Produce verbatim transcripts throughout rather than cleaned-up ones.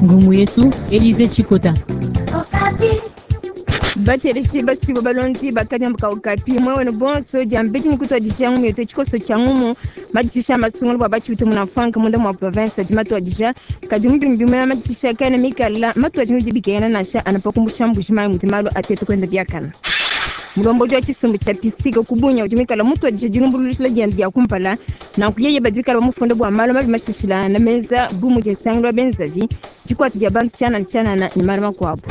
Ngumu yetu Elize Chikota. Bateleshi basibo balonzi bakanyambuka Okapi mwewene bonso diambedi nikutwadisha ngumu yetu tshikoso tshia ngumu madishisha masungulu bua batshiutu muna mfanka munda mwa province adi matuadisha kadi mubimbi mwa madishisha kaena mikala matuadi mudi bikena nansha anapakumbusha mbuji mayi mudi malu atetu kwenda biakana. Mulombodi wa tshisumbu tshia pisika kubunya udi mikala mutuadisha dilumbuluishila diende dia kumpala nanku yeye badi bikala bamufunda bua malu mabi mashishilana meza bu mudi nsangilu wa benzavi dikwata dia bantu tshianana tshianana ne malu makuabu.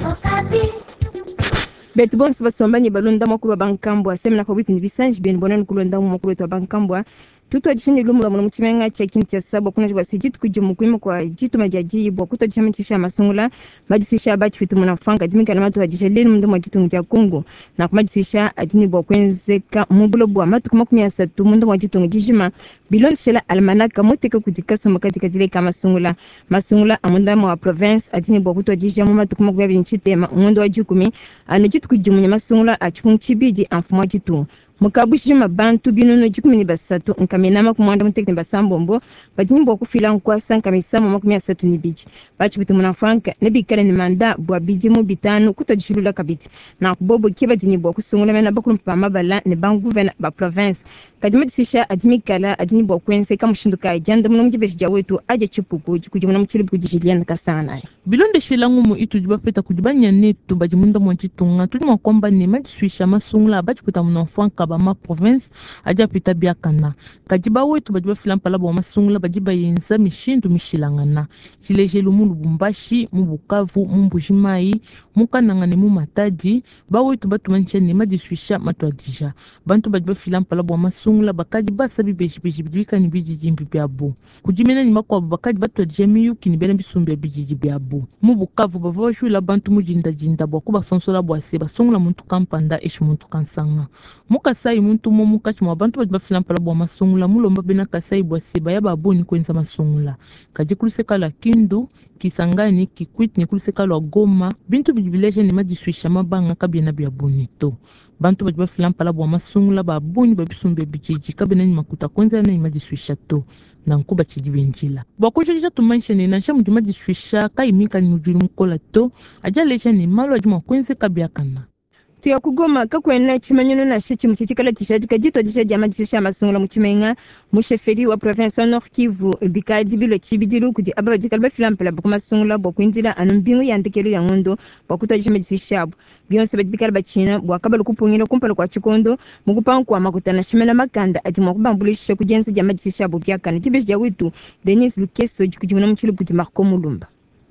Betu bonso basomba ne balonda mwakulu wa bankambua semena pabuipi ne bisanji bienu bonani kulonda mu mwakulu wetu wa bankambua tutuadisha ne lumu lua muna mu tshimenga tshia Kinshasa bua kunaji bua se dituku dimue kuima kua dituma dia diyi bua kutuadisha madishisha a masungula madishisha a batshifita muna mfanka adi mikala matuadisha lelu munda mua ditunga dia Congo nanku madishisha adi ne bua kuenzeka mu buloba bua matuku makumi asatu munda mua ditunga dijima bilondeshela almanaka muteka kudi kasumbu kadikadile ka masungula masungula a munda mua province adi ne bua kutuadisha mu matuku makumi abidi ne tshitema ngondo wa dikumi anu dituku dimue ne masungula a tshipungu tshibidi a mfumu wa ditunga. Mukabushima bantu binunu dikumi ne basatu nkamina makumi muanda mutekete ne basambombo badi ne bua kufila nkuasa nkamisamo makumi asatu ne bidi batshipite muna mfanka ne bikale ne manda bua bidimu bitanu kutuadishilula kabidi nanku bobo ke badi ne bua kusungula mena bakulumpa ba mabala ne banguvena ba province kadi madishisha adi mikala adi ne bua kuenzeka mushindu kayi diandamuna mu dibeji dia wetu adia tshipuku dikudimuna mu tshilubu kudi Julienne Kasanganayi. Bilondeshela ngumu itudi bapeta kudi banyanetu badi munda mua ditunga tudi mua kuamba ne madisuisha masungula batshipita muna mfanka ba ma province adi apita biakana kadi bawetu badi bafila mpala bua masungula badi bayenza mishindu mishilangana tshilejelu mu Lubumbashi mu Bukavu mu Mbujimayi mu Kananga ne mu Matadi bawetu batumanyisha ne madisuisha matuadija bantu badi bafila mpala bua masungula bakadi basa bibejibeji bidi bikale ne bididimbi biabu kudimena ne makuabu bakadi batuadija miyuki ne bena bisumbu bia bididi biabu mu Bukavu bavua bajuila bantu mu dindadinda bua kubasonsola bua se basungula muntu kampanda eshi muntu kansanga mu Kasai muntu umue munkatshi mua bantu badi bafila mpala bua masungula mulomba bena Kasai bua se baya babuni kuenza masungula kadi kuluseka lua Kindu Kisangani Kikwit ne kuluseka lua Goma bintu bidi bileja ne madisuisha mabanga kabiena bia buni to bantu badi bafila mpala bua masungula babuni ba bisumbu bia bididi kabiena ne makuta kuenzela ne madisuisha to nanku batshidi benjila bua kujikija tumanyisha ne nansha mudi madisuisha kayi mikale ne mukola to adi aleja ne malu adi mua kuenzeka biakana. Tuya kugoma kakwena tshimanyinu nansha tshimue tshikala tshijadika dituadisha dia madishisha a masungula mu tshimenga mu chefferie wa province wa Nord Kivu bikadi bilua tshibidilu kudi aba badikala bafila mpala bua kumasungula bua kuindila anu mbingu ya ndekelu ya ngondo bua kutuadisha madishisha abu bionso badi bikala batshina bua kabalu kupungila kumpala kua tshikondo mu kupanga kua makuta nansha mena makanda adi mua kubambuluisha ku dienza dia madishisha abu biakana dibeji dia wetu Denis Lukeso dikudimuna mu tshilubu kudi Marco Mulumba.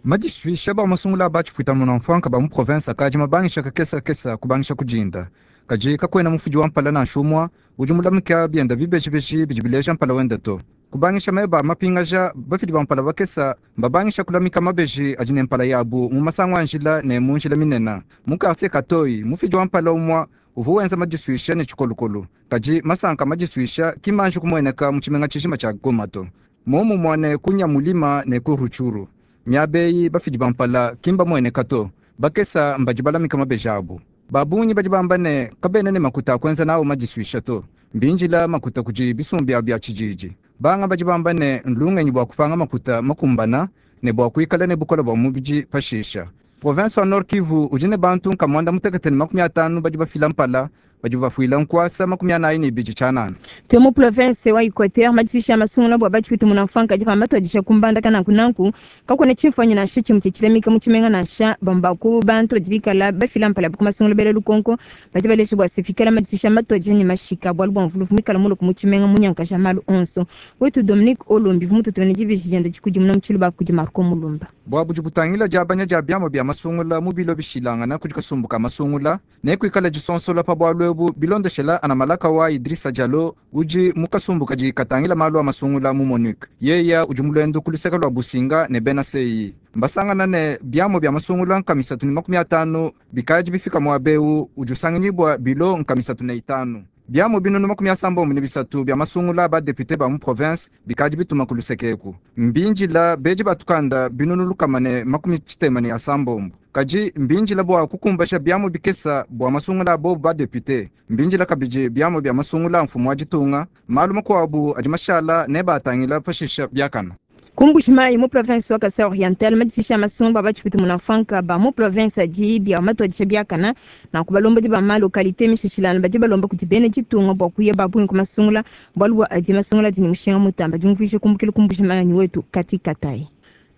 Madisuisha ba masungula batshipwita muna mfanka ba mu province akadi mabangisha kakesa kakesa kubangisha kujinda kadi kakwena mufudi wa mpala nansha umua udi mulamuka bienda bibejibeji bidi bileja mpala wenda to kubangisha meba mapingaja bafidi ba mpala bakesa mbabangisha kulamika mabeji adi ne mpala yabu mu masango a njila ne mu njila minena mu quartier Katoyi mufidi wa mpala umua uvua wenza madisuisha ne tshikolokolo kadi masanka madisuisha kimanji kumueneka mu tshimenga tshijima tshia Goma to momu muane kunya mulima ne ku Rutshuru miabeyi bafidi bampala kimba mueneka to bakesa mbadi balamika mabeji abu babunyi badi bamba ne kabena ne makuta akwenza nawo madisuisha to mbinjila makuta kudi bisumbu bya tshijiji banga badi bamba ne nlungenyi bua kupanga makuta makumbana ne bua kuikala ne bukola bua mubidi pashisha province wa Nord Kivu udi ne bantu nkamwanda mutekete ne makumi atanu badi bafila mpala badi bafuila nkuasa makumi anayi ne ibidi tshianana. Tuye mu province wa Equateur madisuisha masungula bua batshipite muna mfanka adi pamba tuadisha kumbanda kananku nanku kakwena tshimfuanyi nansha tshimue tshilamika mu tshimenga nansha bambaku bantu badi bikala bafila mpala ku masungula bela lukonko badi balesha bua se fikala madisuisha matuadisha ne mashika bualu bua mvuluvu mikala muluku mu tshimenga munyankasha malu onso wetu Dominique Olombi vumututumene dibeji dienda dikudimuna mu tshiluba kudi Marco Mulumba. Bua budi butangila diabanya dia biamua bia masungula mu bilo bishilangana kudi kasumbu ka masungula ne kuikala disonsola pa bualu ebu bilondeshela ana malaka wa Idrissa Diallo udi mu kasumbu kadi katangila malu a masungula mu MONUC yeya udi mulendo ku luseke lua Businga ne bena C I mbasangana ne biamua bia masungula nkamisatu ne makumi atanu bikadi bifika muabewu udi usanganyibua bilo nkamisatu ne itanu biamua binunu makumi asambombo ne bisatu bia masungula ba député ba mu province bikadi bituma ku lusekeku mbinjila beji batukanda binunu lukama ne makumi tshitema ne asambombo kadi mbinjila bua kukumbasha biamua bikesa bua masungula abo ba député mbinjila kabidi biamua bia masungula mfumu wa ditunga malu makuabu adi mashala ne batangila pashisha biakana. Ku Mbuji-Mayi mu province wa Kasai Oriental, madishisha masumba batshipita munafanka ba mu province adi bia matuadisha biakana na kubalombodi ba ma localité mishishilana badi balomba kuti bene ditunga bua kuya babungi ku masungula bualu bua adi masungula adi ne mushinga mutamba diumvuija kumbukila ku Mbuji-Mayi wetu Kati Katai.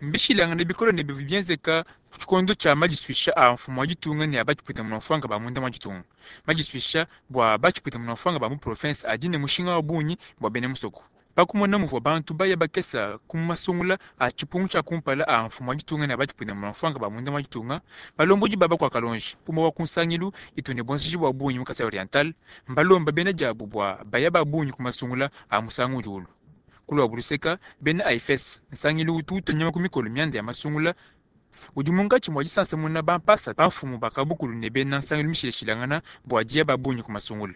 Mbishilangane bikole ne bivua bienzeka ku tshikondo tshia madisuisha a mfumu wa ditunga ne a batshipwita munamfuanka ba munda mua ditunga. Madisuisha bua batshipwita munamfuanka ba mu province adi ne mushinga wa bungi bua bena musoko. Pakumona muvua bantu baya bakesa ku masungula a tshipungu tshia kumpala a mfumu wa ditunga ne a batshipwita munamfuanka ba munda mua ditunga, balombodi baba kua Kalonji umue wa ku nsangilu itu ne buenzeji bua bungi mu Kasai Oriental mbalomba bena diabu bua baya ba bungi ku masungula a musangu udi ulu. Kulua buluseka bena A F S nsangilu utu utunyama ku mikolo mianda ya masungula udi munkatshi mua disansamuna bampasa bamfumu bakabukulu ne bena nsangilu mishilashilangana bua diya ba bungi ku masungula.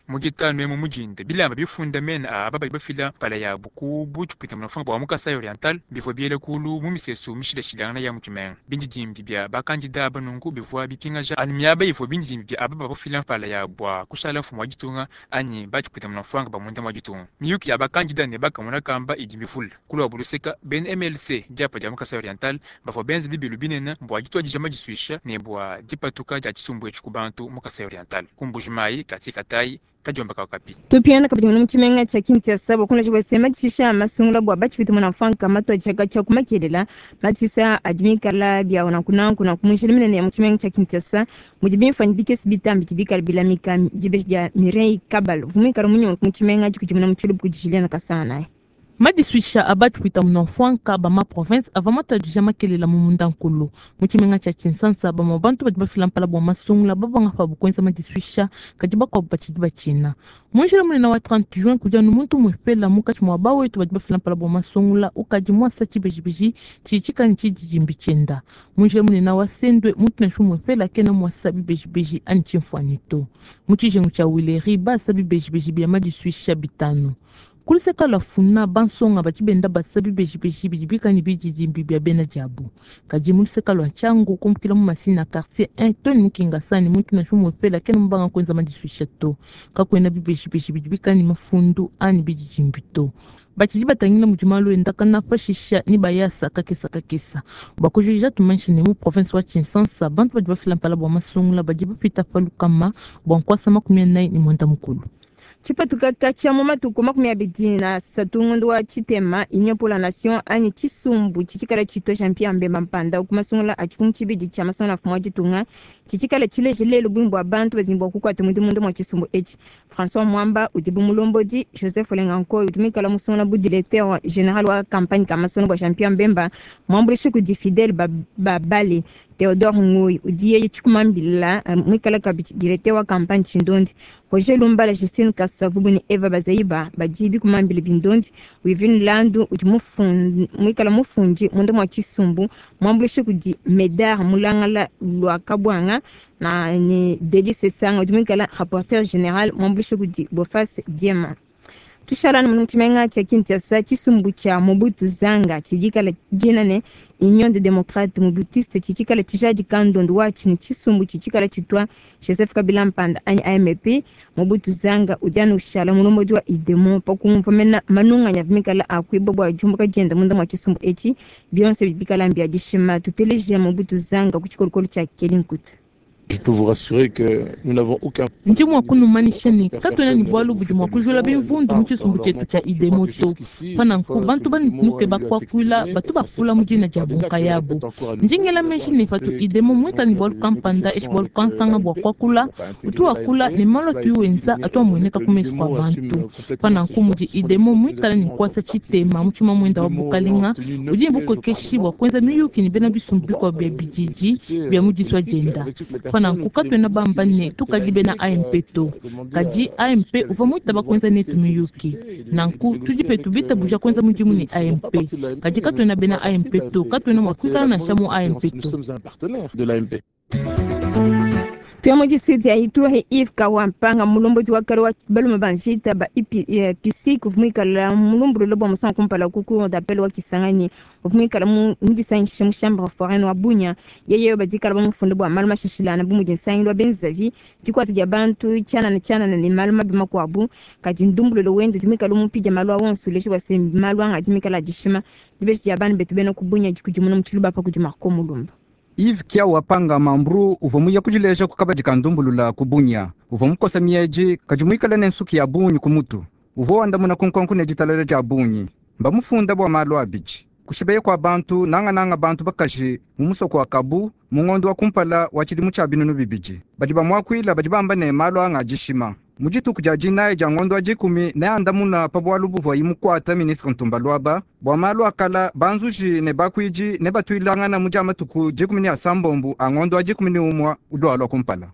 Mu ditanu emu mudinde bilamba bifunda mena a aba badi bafila mpala yabu ku butshipwita munafunga bua mu Kasai Oriental bivua biele kulu mu misesu mishilashilangana ya mu tshimenga. Bindidimbi bia bakandida aba nunku bivua bipingaja anu miaba ivua bindidimbi bia aba bafila mpala yabu bua kushala mfumu wa ditunga anyi batshipwita munafunga ba munda mua ditunga. Miyuki ya bakandida ne bakamona kamba idi mivule. Kulua buluseka bena M L C diapa dia mu Kasai Oriental bavua benza bibilu binene bua dituadija madisuisha ne bua dipatuka dia tshisumbu etshi ku bantu mu Kasai Oriental. Ku Mbuji-Mayi, Kati Katai, Kadiomba Kakapi. Tupiana kabidi mu tshimenga tshia Kinshasa bua kunleja bua madishisha masungula bua batshipita munafanka matuadija tshia kumakelela madishisha adi mikala bia nankunanku na kumunjila minene ya mu tshimenga tshia Kinshasa mudi bimfanyi bikese bitambi bikala bilamika dibeji dia Mireille Kabalo vumikala munyongo mu tshimenga dikudimuna mu tshilubu kudi Juliana Kasana. Madisuisha abatshipita munamfuanka ba ma province ava matuadija makelela mu mundankulu. Mu tshimenga tshia Kinshasa ba ma bantu badi bafila mpala bua masungula babanga pa bukuenza madisuisha kadi bakuabu batshidi batshina. Mu njila munene wa trente juin kudi anu muntu muepela munkatshi mua bawetu badi bafila mpala bua masungula ukadi muasa tshibejibeji tshitshikani tshididimbi tshienda. Mu njila munene wa Sendwe muntu nansha muepela kena muasa bibejibeji anyi tshimfuanyi to. Mu tshijengu tshia Wileri basa bibejibeji bia madisuisha bitanu. Kuluseka lua funa bansonga badi benda basa bibejibeji bidi bikani bididimbi bia bena diabu. Kadi mu luseka lua Tshangu kumbukila mu Masina quartier un Tony Mukingasani muntu nansha muepela kena mubanga kuenza madisuisha to. Kakuena bibejibeji bidi bikani mafundu anyi bididimbi to. Batshidi batangila mudi malu enda kana pashisha ni bayasa kakesa kakesa. Bua kujikija tumanyishe ne mu province wa Kinshasa bantu badi bafila mpala bua masungula badi bapita pa lukama bua nkuasa makumi anayi ne mwenda mukulu. Tshipatuka katshia mu matuku makumi abidi na asatu ngondo wa tshitema Union pour la Nation anyi tshisumbu tshitshikala tshitwa Jean-Pierre Bemba Mpanda ku masungula a tshipungu tshibidi tshia masungula mfumu wa ditunga tshitshikala tshileje lelu bungi bua bantu bazimbi bua kukuata mudimu munda mua tshisumbu etshi. François Mwamba udi bu mulombodi, Joseph Olengankoy udi muikala musungula bu directeur général wa campagne ka masungula bua Jean-Pierre Bemba muambuluishi kudi Fidèle Babale. Théodore Ngoy udi yeye tshikumambila muikala kabidi directeur wa campagne Tshindondi. Roger Lumbala, Justine Kasavubu ne Eva Bazaiba badi bikumambila bindondi. Wivin Landu udi mufundi muikala mufundi munda mua tshisumbu muambuluishi kudi Medar Mulangala lwa Kabwanga na ni Deli Sesanga udi muikala rapporteur général muambuluishi kudi Bofas Diema. Tushalana mu tshimenga tshia Kinshasa tshisumbu tshia Mobutu Zanga tshidikala dina ne Union des démocrates mobutiste tshitshikala tshijadika ndondo watshi ne tshisumbu tshitshikala tshitwa Joseph Kabila Mpanda anyi A M P. Mobutu Zanga udi anu ushala mulombodi wa Idemo pakumva mena manunganya vimikala akuiba bua diumbuka dienda munda mua tshisumbu etshi bionso bikala mbia dishima. Tuteleje Mobutu Zanga ku tshikolokolo tshia Kelly Nkuta. Je peux vous rassurer que nous n'avons aucun Ndi mua kunumanisha ne katuena ne bualu budi mua kujula bimvundu mu tshisumbu tshietu tshia Idemo to. Pananku bantu banuke bakuakuila batu bakula mu dina dia bunkayabu. Ndi ngela meji ne patu Idemo muikale ne bualu kampanda eshi bualu kansanga bua kuakula, utu wakula ne malu atu wenza atu amueneka ku mesu kua bantu. Pananku mudi Idemo muikale ne kuasa tshitema mu tshima muenda wa bukalenga, udi ne bukokeshi bua kuenza miyuki ne bena bisumbu bikuabu bia bididi bia mu disua dienda. Pananku katuena bamba ne tukadi bena A M P to. Kadi A M P uvua muitaba kuenza netu miyuki. Nanku tudi petu bitabuja kuenza mudimu ne A M P. Kadi katuena bena A M P to, katuena mua kuikala nansha mu A M P to. Tuya mu district ya Ituri, Yves Kawampanga mulombodi wa kale wa balume ba mvita ba I P C uvua muikala mulumbulula bua musangu kumpala ku cour d'appel wa Kisangani, uvua muikala mu mudisangishe mu chambre foraine wa Bunia. Yeye badikala bamufunde bua malu mashashilana bu mudi nsangilu wa benzavi, dikuata dia bantu tshianana tshianana ne malu mabi makuabu. Kadi ndumbulula wende udi muikala mupidia malu a wonso, uleja bua se malu anga adi mikala adishima. Dibeji dia bana betu bena ku Bunia dikudimuna mu tshiluba pa kudi Marco Mulumba. Yves Kiawa Panga Mambru uvua muya kudileja ku kabadi ka ndumbulula ku Bunia. Uvua mukosa miedi, kadi muikale ne nsuki ya bungi ku mutu. Uvua wandamuna ku nkonko ne ditalala dia bungi. Mbamufunda bua malu abidi: kushibeya kua bantu, nangananga bantu bakaji, mu musoko wa Kabu mu ngondo wa kumpala wa tshidimu tshia binunu bibidi. Badi bamuakuila badi bamba ne malu anga adishima. Mu dituku dia dinayi dia ngondo wa dikumi neandamuna pa bualu buvuayi mukuata ministre Ntumba Luaba bua malu akala. Banzuji ne bakuidi ne batuilangana mu dia matuku dikumi ne asambombo a ngondo wa dikumi ne umue ulualua kumpala.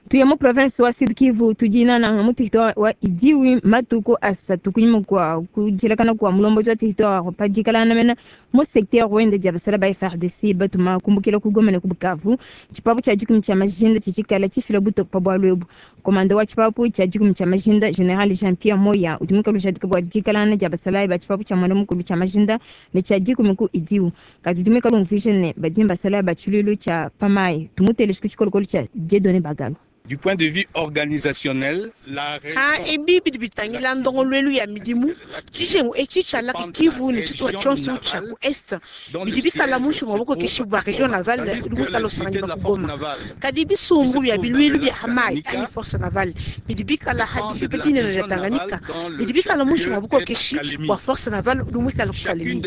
Tuya mu province wa Sud Kivu, tudinana mu territoire wa Idjwi. Matuku asatu kunyima kua kudilakana kua mulombodi wa territoire pa dikalana mena mu secteur wende dia basala ba F A R D C batuma kumbukila ku Goma ne ku Bukavu, tshipapu tshia dikumi tshia majinda tshitshikala tshifila butoke pa bualu ebu. Komanda wa tshipapu tshia dikumi tshia majinda, général Jean Pierre Moya, udi muikale ujadika bua dikalana dia basalayi ba tshipapu tshia mwanda mukulu tshia majinda ne tshia dikumi ku Idjwi, kadi udi muikale umvuija ne badi basalayi ba tshiluilu tshia pamayi. Tumuteleje ku tshikolokolo tshia Dieudonné Bagalo. Du point de vue organisationnel, la Ha ebi bidi bitangila ndongoluelu ya midimu, tshijengu etshi tshia Lac Kivu ne tshitupa tshionso tshia ku est bidi bikala muinshi mua bukokeshi bua région navale udi muikala usanganyibua ku Goma. Kadi bisumbu bia biluilu bia hamai anyi force navale bidi bikala ha dijiba dinene dia Tanganyika bidi bikala muinshi mua bukokeshi bua force navale udi muikala ku Kalemi.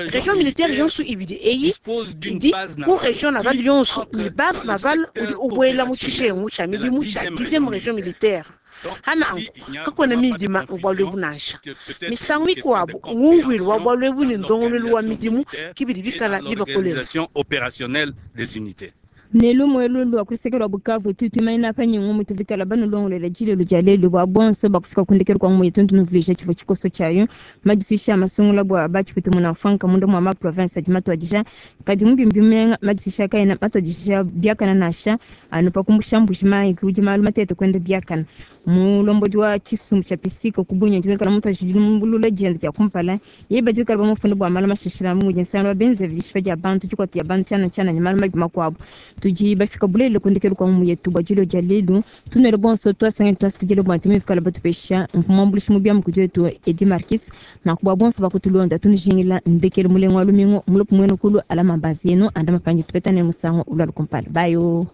Région militaire yonso ibidi eyi idi ku région navale yonso ne base navale udi ubuela mu tshijengu tshia midimu tshia dixième région militaire. Hananku kakuena midima mu bualu ebu nansha. Misangu mikuabu ngumvuilu wa bualu ebu ne ndongoluelu wa midimu kibidi bikala bibakolela. Opérationnelle des unités. Ne lumu elu lua luseke lua Bukavu, tutuimanina panyingu mutuvikala banulongolela dilelo dia lelu bua bonso bakufika kundekelu kua muyi. Tuntunuvuija tshivua tshikoso tshiayo: madisuisha masungula bua batshipite muna mfanka munda mua ma province adi matuadija, kadi mubimbi bimenga madisuisha kaena matuadija biakana nansha, anu pa kumbusha Mbuji-Mayi kudi malu matete kwenda biakana. Mulombodi wa tshisumbu tshia pisika ku Bunia dimikala mutuadija lumbulula dienda dia kumpala. Ye badi bikala bamufunda bua malu mashashila mudi nsangano wa benzevi, dishipa dia bantu, dikuata dia bantu tshiana tshiana ne malu mabi makuabu. Tudi bafika bulele kundekelu kua mumu yetu bua dilo dia lelu. Tunele bonso twasangene twasikidile bua ntimi fikala batupesha mfumambulushi mu biamu kudi wetu Edi Marquis. Nanku bua bonso bakutulonda, tunujingila ndekelu mulengo wa lumingu mulopu mwenu kulu alama mbazi yenu anda mapangi. Tupetane musangu ulwalu kumpala. Bayo.